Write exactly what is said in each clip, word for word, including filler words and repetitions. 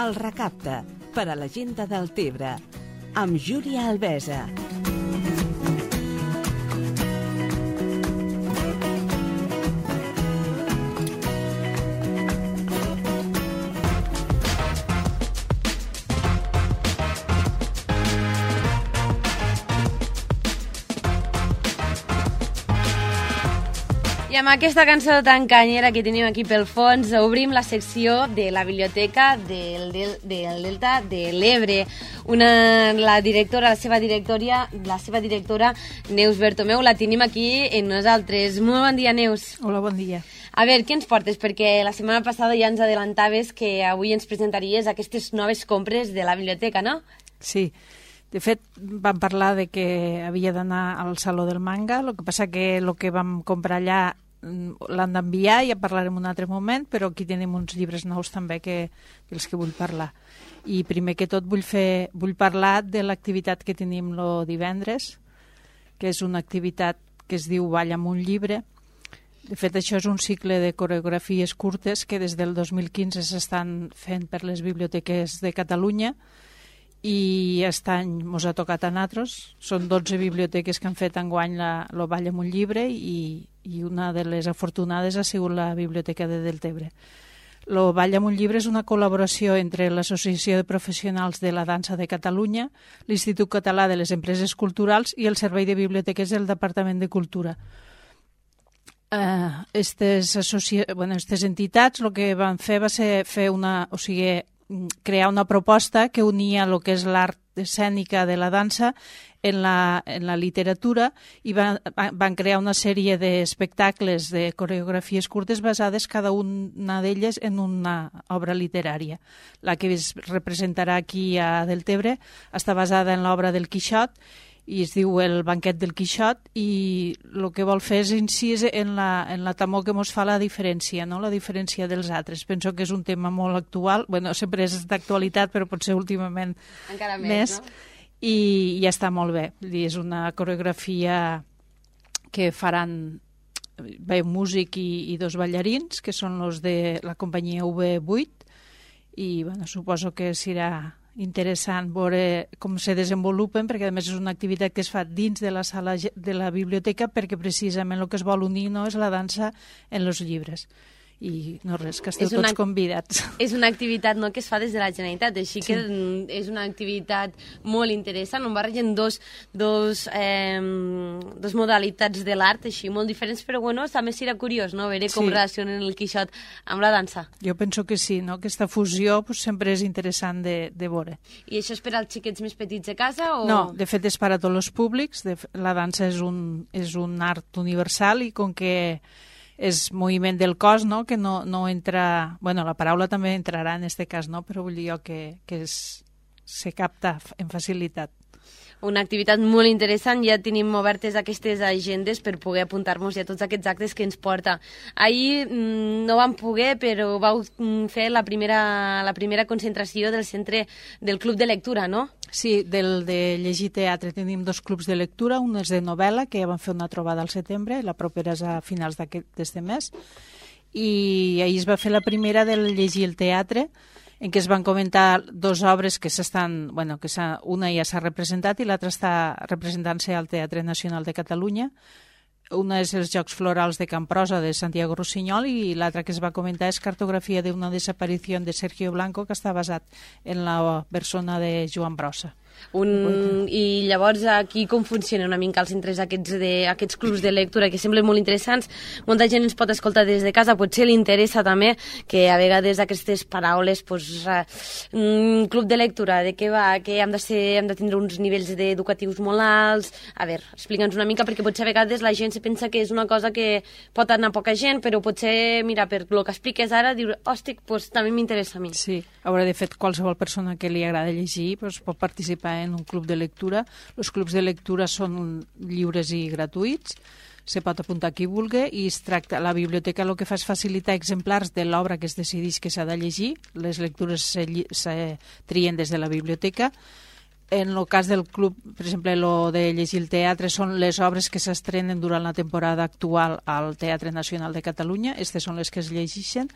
El recapte, per a la gent de Deltebre, amb Júlia Albesa. I amb aquesta cançó tan canyera que tenim aquí pel fons, obrim la secció de la biblioteca del, del, del Delta de l'Ebre. Una, la directora, la seva directora, la seva directora, Neus Bertomeu, la tenim aquí en nosaltres. Molt bon dia, Neus. Hola, bon dia. A veure, què ens portes? Perquè la setmana passada ja ens adelantaves que avui ens presentaries aquestes noves compres de la biblioteca, no? Sí. De fet, vam parlar de que havia d'anar al Saló del Manga, el que passa que el que vam comprar allà l'han d'enviar, ja parlarem un altre moment, però aquí tenim uns llibres nous també que, dels que vull parlar. I primer que tot vull, fer, vull parlar de l'activitat que tenim el divendres, que és una activitat que es diu Balla amb un llibre. De fet, això és un cicle de coreografies curtes que des del dos mil quinze s'estan fent per les biblioteques de Catalunya, i aquest any mos ha tocat a nosaltres. Són dotze biblioteques que han fet enguany la, lo Ball amb un llibre i, i una de les afortunades ha sigut la Biblioteca de Deltebre. Lo Ball amb un llibre és una col·laboració entre l'Associació de Professionals de la Dansa de Catalunya, l'Institut Català de les Empreses Culturals i el Servei de Biblioteques del Departament de Cultura. Uh, estes, associ... bueno, estes entitats el que van fer va ser fer una... O sigui, crear una proposta que unia el que és l'art escènica de la dansa en la, en la literatura i van, van crear una sèrie d'espectacles de coreografies curtes basades cada una d'elles en una obra literària. La que es representarà aquí a Deltebre està basada en l'obra del Quixot i es diu El banquet del Quixot, i el que vol fer és incís en la, en la temor que ens fa la diferència, no? La diferència dels altres. Penso que és un tema molt actual, bueno, sempre és d'actualitat, però potser últimament encara més, més no? I ja està molt bé. És una coreografia que faran bé, un músic i, i dos ballarins, que són els de la companyia U V vuit, i bueno, suposo que serà interessant veure com se desenvolupen, perquè a més és una activitat que es fa dins de la sala de la biblioteca, perquè precisament el que es vol unir no és la dansa en els llibres. I no res, que esteu una, tots convidats. És una activitat, no, que es fa des de la Generalitat, així sí. Que és una activitat molt interessant, on barregen dos, dos, eh, dos modalitats de l'art, així, molt diferents, però bueno, també serà curiós, no?, veure com sí. Relacionen el Quixot amb la dansa. Jo penso que sí, no?, aquesta fusió pues, sempre és interessant de, de veure. I això és per als xiquets més petits de casa? O... No, de fet és per a tots els públics, de, la dansa és un, és un art universal i com que és moviment del cos, no?, que no, no entra... Bueno, la paraula també entrarà en aquest cas, no?, però vull dir jo que, que és, se capta en facilitat. Una activitat molt interessant, ja tenim obertes aquestes agendes per poder apuntar-nos a tots aquests actes que ens porta. Ahir mmm, no vam poder, però vau fer la primera, la primera concentració del centre del Club de Lectura, no? Sí, del de llegir teatre tenim dos clubs de lectura, un és de novel·la, que ja vam fer una trobada al setembre, la propera és a finals d'aquest mes, i ahir es va fer la primera del llegir el teatre, en què es van comentar dues obres que s'estan, bueno, que una ja s'ha representat i l'altra està representant-se al Teatre Nacional de Catalunya. Una és els Jocs Florals de Camprosa de Santiago Rossinyol i l'altra que es va comentar és Cartografia d'una desaparició de Sergio Blanco, que està basat en la persona de Joan Brossa. Un... I llavors aquí com funciona una mica els centres aquests, de, aquests clubs de lectura que semblen molt interessants? Molta gent ens pot escoltar des de casa, potser li interessa també que a vegades aquestes paraules pues, un club de lectura, de què va, que hem de, ser, hem de tindre uns nivells educatius molt alts. A veure, explica'ns una mica, perquè potser a vegades la gent se pensa que és una cosa que pot anar poca gent, però potser, mira, per el que expliques ara, dius, hòstic, pues, també m'interessa a mi. Sí, a veure, de fet, qualsevol persona que li agrada llegir pues, pot participar en un club de lectura. Els clubs de lectura són lliures i gratuïts, se pot apuntar qui vulgui i es tracta, la biblioteca el que fa és facilitar exemplars de l'obra que es decideix que s'ha de llegir. Les lectures se, se trien des de la biblioteca. En el cas del club, per exemple, lo de llegir el teatre són les obres que s'estrenen durant la temporada actual al Teatre Nacional de Catalunya, aquestes són les que es llegeixen,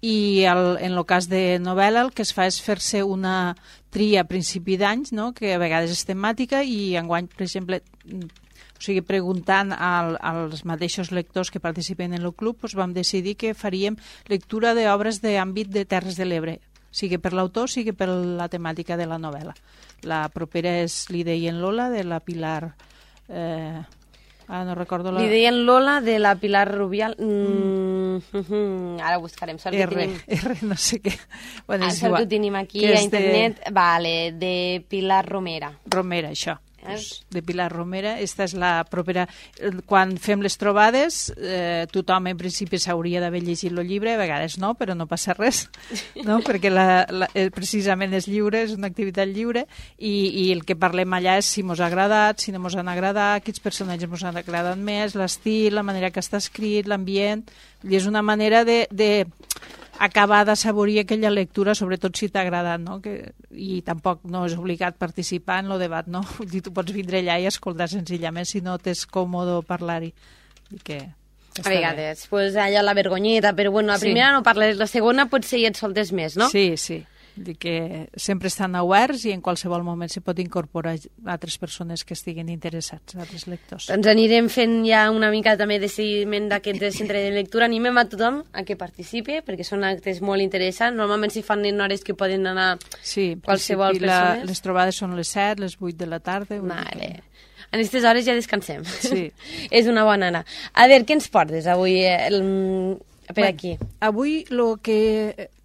i el, en el cas de novel·la el que es fa és fer-se una tria a principi d'anys, no? Que a vegades és temàtica, i enguany, per exemple, o sigui, preguntant al, als mateixos lectors que participen en el club, doncs vam decidir que faríem lectura d'obres d'àmbit de Terres de l'Ebre, sigui per l'autor, sigui per la temàtica de la novel·la. La propera és Li deien Lola, de la Pilar... Eh, ah, no recordo la... Li deien Lola, de la Pilar Rubial... Mm. Mm. Ara buscarem. Sort R, que tenim... R, no sé què. Bueno, ah, és sort igual. que ho tenim aquí que a internet. De... Vale, de Pilar Romera. Romera, això. Pues, de Pilar Romera. Esta és la propera... Quan fem les trobades, eh, tothom en principi s'hauria d'haver llegit el llibre, a vegades no, però no passa res, no? Perquè la, la, precisament és lliure, és una activitat lliure, i, i el que parlem allà és si mos ha agradat, si no mos han agradat, quins personatges mos han agradat més, l'estil, la manera que està escrit, l'ambient, i és una manera de... de acabar d'assaborir aquella lectura, sobretot si t'ha agradat, no? Que, i tampoc no és obligat participar en el debat, no? I tu pots vindre allà i escoltar senzillament si no t'és còmode parlar-hi. I que a vegades, bé. Pues allà la vergonyeta, però bueno, la sí. primera no parles, la segona potser ja et soltes més, no? Sí, sí. I que sempre estan oberts i en qualsevol moment se pot incorporar altres persones que estiguin interessats, altres lectors. Doncs anirem fent ja una mica també de seguiment d'aquest centre de lectura. Animem a tothom a que participi, perquè són actes molt interessants. Normalment s'hi fan en hores que poden anar sí, qualsevol persona. La, les trobades són les set, les vuit de la tarda. Vale. En aquestes hores ja descansem. Sí. És una bona hora. A veure, què ens portes avui el... per bueno, aquí? Avui el que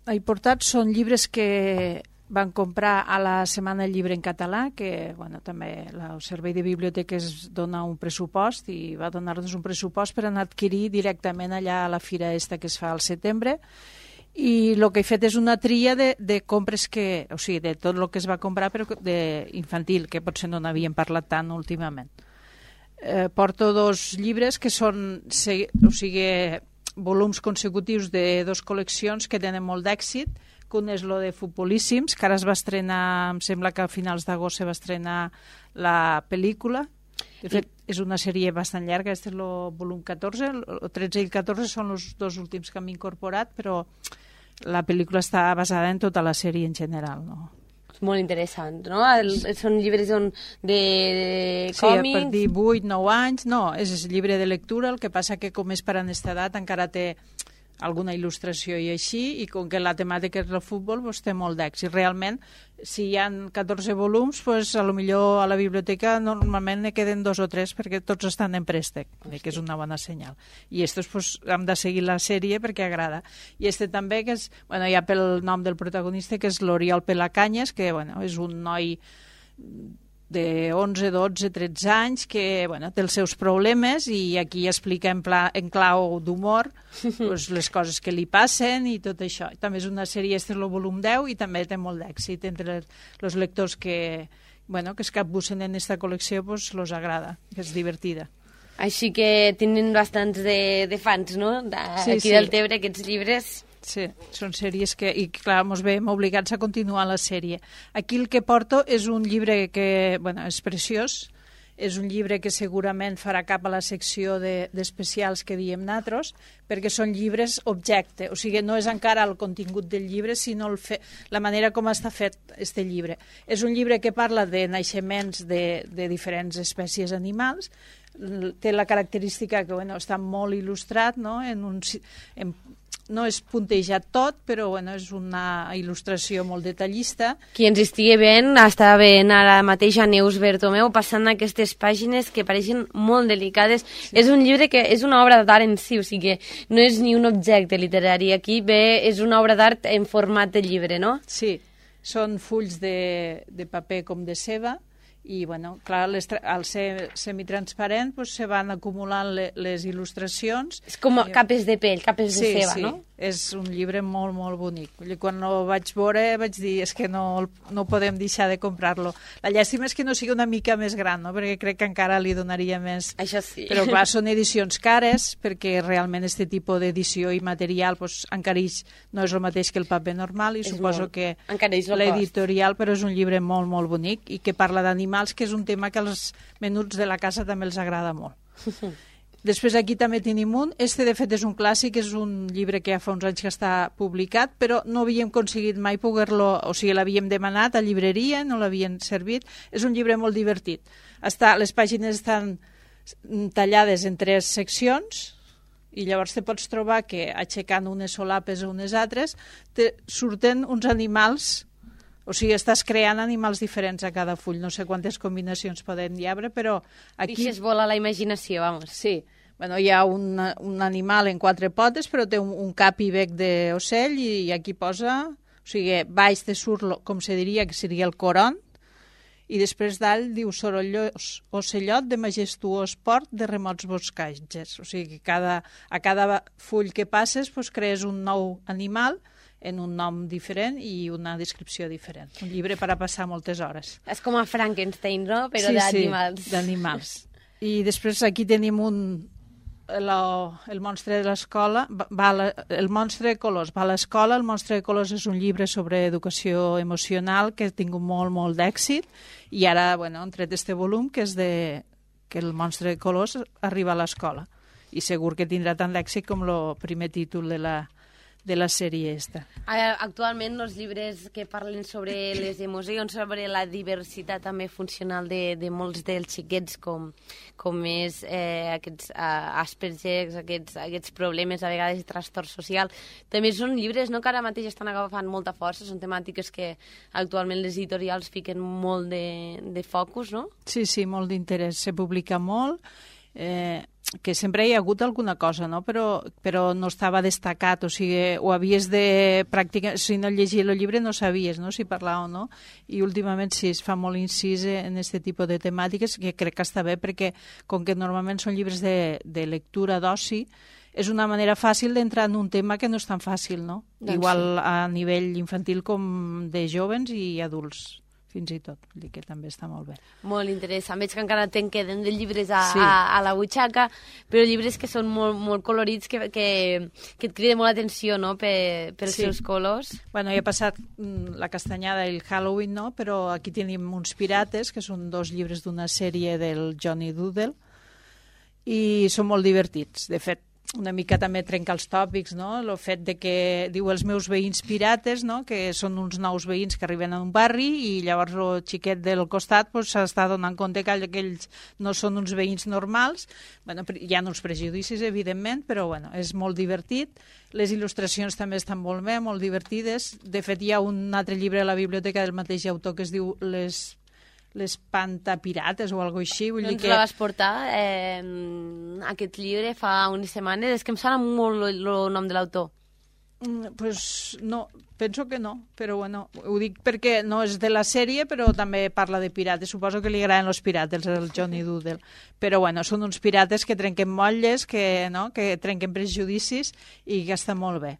he portat són llibres que van comprar a la Setmana del Llibre en Català, que bueno, també el Servei de Biblioteques dona un pressupost i va donar-nos un pressupost per anar a adquirir directament allà a la fira esta que es fa al setembre, i el que he fet és una tria de, de compres que, o sigui, de tot el que es va comprar però de infantil, que potser no n'havíem parlat tant últimament. Eh, porto dos llibres que són, o sigui, volums consecutius de dos col·leccions que tenen molt d'èxit, que un és lo de Futbolíssims, que ara es va estrenar, em sembla que a finals d'agost se va estrenar la pel·lícula. De fet, és una sèrie bastant llarga, aquest és el volum catorze, el tretze i el catorze són els dos últims que hem incorporat, però la pel·lícula està basada en tota la sèrie en general, no? Molt interessant, no? El, són llibres on de, de sí, còmics... Sí, a partir de vuit nou anys, no, és llibre de lectura, el que passa que com és per a aquesta edat encara té alguna il·lustració i així, i com que la temàtica és el futbol, doncs té molt d'èxit. Realment, si hi ha catorze volums, doncs a lo millor a la biblioteca normalment ne queden dos o tres perquè tots estan en préstec, que és una bona senyal. I estos pues, hem de seguir la sèrie perquè agrada. I este també, que és, bueno, ja pel nom del protagonista, que és l'Oriol Pelacanyes, que bueno, és un noi de onze, dotze, tretze anys que bueno, té els seus problemes i aquí explica en, pla, en clau d'humor pues, les coses que li passen i tot això. També és una sèrie, este és el volum deu i també té molt d'èxit entre els lectors que, bueno, que es capbussen en aquesta col·lecció, pues, los agrada, que és divertida. Així que tenen bastants de, de fans, no? De, sí, aquí sí. del Tebre, aquests llibres... Sí, són sèries que, i clar, ens veiem obligats a continuar la sèrie. Aquí el que porto és un llibre que, bueno, és preciós, és un llibre que segurament farà cap a la secció d'especials de, que diem nosaltres, perquè són llibres objecte, o sigui, no és encara el contingut del llibre, sinó el fe, la manera com està fet este llibre. És un llibre que parla de naixements de, de diferents espècies animals, té la característica que bueno, està molt il·lustrat, no? En un, en, no és puntejat tot, però bueno, és una il·lustració molt detallista. Qui ens estigui veient, està veient ara mateix a Neus Bertomeu passant aquestes pàgines que pareixen molt delicades. Sí. És un llibre que és una obra d'art en si, o sigui, no és ni un objecte literari. Aquí ve, és una obra d'art en format de llibre, no? Sí, són fulls de, de paper com de ceba, i bueno, clar, les, al ser semitransparent pues, se van acumulant le, les il·lustracions. És com capes de pell, capes sí, de ceba, sí. no? És un llibre molt, molt bonic. Quan ho vaig veure vaig dir, és que no, no podem deixar de comprar-lo. La llàstima és que no sigui una mica més gran, no? Perquè crec que encara li donaria més... Això sí. Però clar, són edicions cares, perquè realment aquest tipus d'edició i material pues, encareix, no és el mateix que el paper normal, i és suposo molt... que l'editorial, però és un llibre molt, molt bonic, i que parla d'animals, que és un tema que als menuts de la casa també els agrada molt. Després aquí també tenim un. Este, de fet, és un clàssic, és un llibre que ja fa uns anys que està publicat, però no havíem aconseguit mai poder-lo, o sigui, l'havíem demanat a llibreria, no l'havien servit. És un llibre molt divertit. Està, les pàgines estan tallades en tres seccions i llavors te pots trobar que aixecant unes solapes o unes altres te surten uns animals, o sigui, estàs creant animals diferents a cada full. No sé quantes combinacions poden hi haver, però aquí... Deixes volar la imaginació, vamos. Sí. Bueno, hi ha un, un animal en quatre potes, però té un, un cap i bec d'ocell i, i aquí posa... O sigui, baix te surt, lo, com se diria, que seria el coron, i després dalt diu sorollós ocellot de majestuós port de remots boscatges. O sigui, que cada, a cada full que passes pues, crees un nou animal en un nom diferent i una descripció diferent. Un llibre per a passar moltes hores. És com a Frankenstein, no? Però sí, d'animals. Sí, d'animals. I després aquí tenim un... La, el monstre de l'escola, el monstre de colors va a l'escola. El monstre de colors és un llibre sobre educació emocional que ha tingut molt, molt d'èxit i ara, bueno, han tret este volum que és de que el monstre de colors arriba a l'escola i segur que tindrà tant d'èxit com el primer títol de la, de la sèrie esta. Actualment els llibres que parlen sobre les emocions, sobre la diversitat també funcional de, de molts dels xiquets, com, com és eh, aquests uh, Asperger, aquests, aquests problemes a vegades de trastorn social, també són llibres no, que ara mateix estan agafant molta força, són temàtiques que actualment les editorials fiquen molt de, de focus, no? Sí, sí, molt d'interès, se publica molt, eh, que sempre hi ha hagut alguna cosa, no? però, però no estava destacat, o sigui, ho havies de practicar, si no llegies el llibre no sabies no? Si parlar o no, i últimament sí, es fa molt incís en aquest tipus de temàtiques, que crec que està bé, perquè com que normalment són llibres de, de lectura d'oci, és una manera fàcil d'entrar en un tema que no és tan fàcil, no? Doncs igual sí. A nivell infantil com de jovens i adults. Fins i tot, vull dir que també està molt bé. Molt interessant. Veig que encara te'n queden de llibres a, sí. a, a la butxaca, però llibres que són molt, molt colorits, que, que, que et criden molt l'atenció, no?, per, per els sí. seus colors. Bueno, ja ha passat mm, la castanyada i el Halloween, no?, però aquí tenim uns pirates, que són dos llibres d'una sèrie del Johnny Doodle, i són molt divertits. De fet, una mica també trenca els tòpics, no? El fet de que diu els meus veïns pirates, no? Que són uns nous veïns que arriben a un barri i llavors el xiquet del costat s'està pues, donant compte que aquells no són uns veïns normals. Bueno, hi ha uns prejudicis, evidentment, però bueno, és molt divertit. Les il·lustracions també estan molt bé, molt divertides. De fet, hi ha un altre llibre a la biblioteca del mateix autor que es diu Les... les pantapirates o alguna cosa així. Vull doncs dir que... la vas portar, eh, aquest llibre, fa unes setmanes. És que em sona molt el nom de l'autor. Mm, pues no, penso que no, però bueno, ho dic perquè no és de la sèrie, però també parla de pirates. Suposo que li agraden els pirates, el Johnny Doodle. Però bueno, són uns pirates que trenquen motlles, que, no? que trenquen prejudicis i que està molt bé.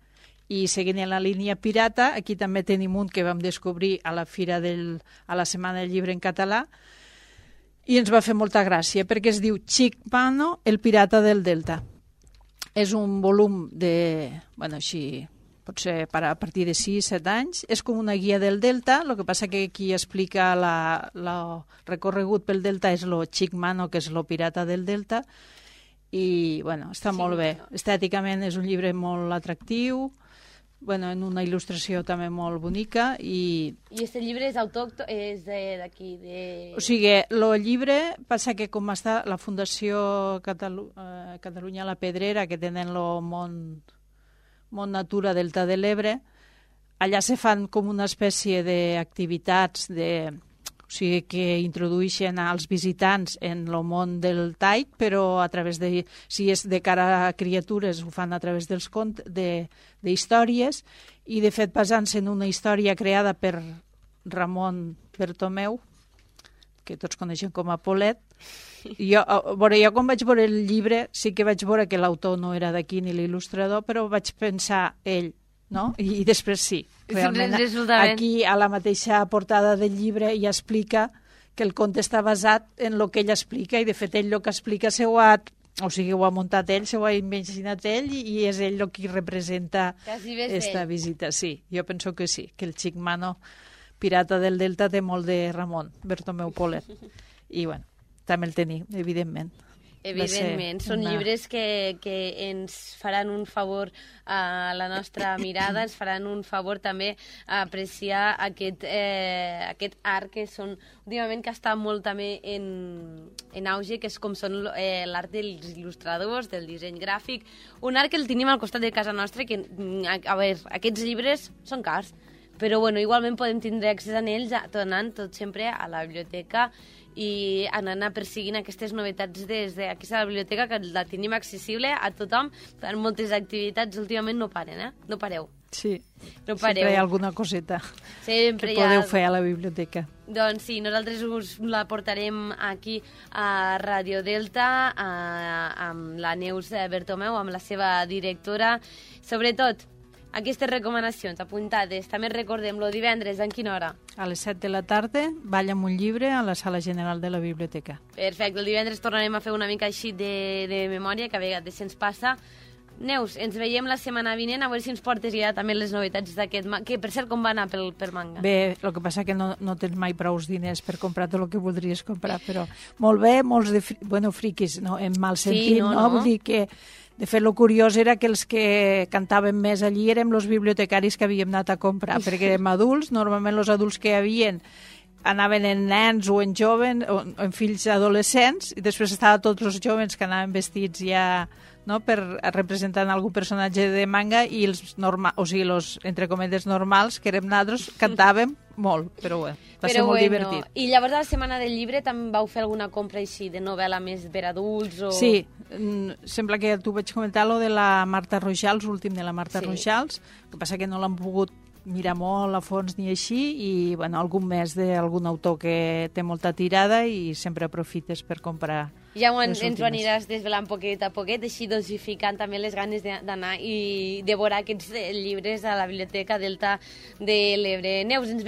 I seguint en la línia pirata, aquí també tenim un que vam descobrir a la fira del, a la Setmana del Llibre en català i ens va fer molta gràcia perquè es diu Chick Mano, el pirata del Delta. És un volum de, bueno, així, potser a partir de sis set anys. És com una guia del Delta, el que passa que qui explica el recorregut pel Delta és el Chick Mano, que és el pirata del Delta, i bueno, està sí, molt bé. No. Estèticament és un llibre molt atractiu, bueno, en una il·lustració també molt bonica. I I aquest llibre és autòcton, és d'aquí? De... O sigui, el llibre passa que com està la Fundació Catalu eh, Catalunya la Pedrera, que tenen el món, món Natura Delta de l'Ebre, allà se fan com una espècie d'activitats de... O sigui, que introdueixen als visitants en el món del taic, però a través de, si és de cara a criatures, ho fan a través dels contes, de, d'històries, i de fet basant-se en una història creada per Ramon Bertomeu, que tots coneixen com a Polet. Jo, veure, jo quan vaig veure el llibre sí que vaig veure que l'autor no era d'aquí ni l'il·lustrador, però vaig pensar ell, no? I, i després sí, realment aquí a la mateixa portada del llibre ja explica que el conte està basat en el que ell explica i de fet ell el que explica se ho ha, o sigui, ho ha muntat ell, se ho ha imaginat ell i, i és ell el que representa esta visita. Sí, jo penso que sí, que el Chick Mano, pirata del Delta, té molt de Ramon Bertomeu Polet i bueno, també el tenim, evidentment. Evidentment, són una... llibres que, que ens faran un favor a la nostra mirada, ens faran un favor també a apreciar aquest, eh, aquest art que són, últimament que està molt també en, en auge, que és com són eh, l'art dels il·lustradors, del disseny gràfic, un art que el tenim al costat de casa nostra, que, a, a veure, aquests llibres són cars, però bueno, igualment podem tindre accés a ells tornant tot sempre a la biblioteca i anant a perseguint aquestes novetats des d'aquesta biblioteca, que la tenim accessible a tothom, per moltes activitats últimament no paren, eh? No pareu. Sí, no pareu. Sempre hi ha alguna coseta sempre que podeu ha... fer a la biblioteca. Doncs sí, nosaltres us la portarem aquí a Radio Delta, a, amb la Neus Bertomeu, amb la seva directora. Sobretot, aquestes recomanacions apuntades, també recordem, lo divendres, en quina hora? A les set de la tarda, balla amb un llibre a la sala general de la biblioteca. Perfecte, el divendres tornarem a fer una mica així de, de memòria, que a vegades se'ns passa. Neus, ens veiem la setmana vinent, a veure si ens portes ja també les novetats d'aquest manga, que per cert com va anar pel, per manga? Bé, el que passa que no, no tens mai prou diners per comprar tot el que voldries comprar, però molt bé, molts de fri... bueno, friquis, no, en mal sentit, sí, no, no? no? Vull dir que, de fet, el curiós era que els que cantaven més allí érem els bibliotecaris que havíem anat a comprar, perquè érem adults, normalment els adults que hi havien anaven en nens o en joves, o en fills adolescents, i després estaven tots els joves que anaven vestits ja, no?, per representant algun personatge de manga, i els norma, o sigui, els, entre cometes, normals, que érem nosaltres, cantàvem molt, però bé, va però ser molt bueno. divertit. I llavors a la Setmana del Llibre també vau fer alguna compra així de novel·la més per adults? O... Sí, sembla que tu vaig comentar lo de la Marta Rojals, l'últim de la Marta sí. Rojals, el que passa que no l'han pogut mirar molt a fons ni així, i bueno, algun més d'algun autor que té molta tirada i sempre aprofites per comprar. Ja ens ho aniràs desvelant poquet a poquet, així dosificant també les ganes d'anar i devorar aquests llibres a la Biblioteca Delta de l'Ebre. Neus, ens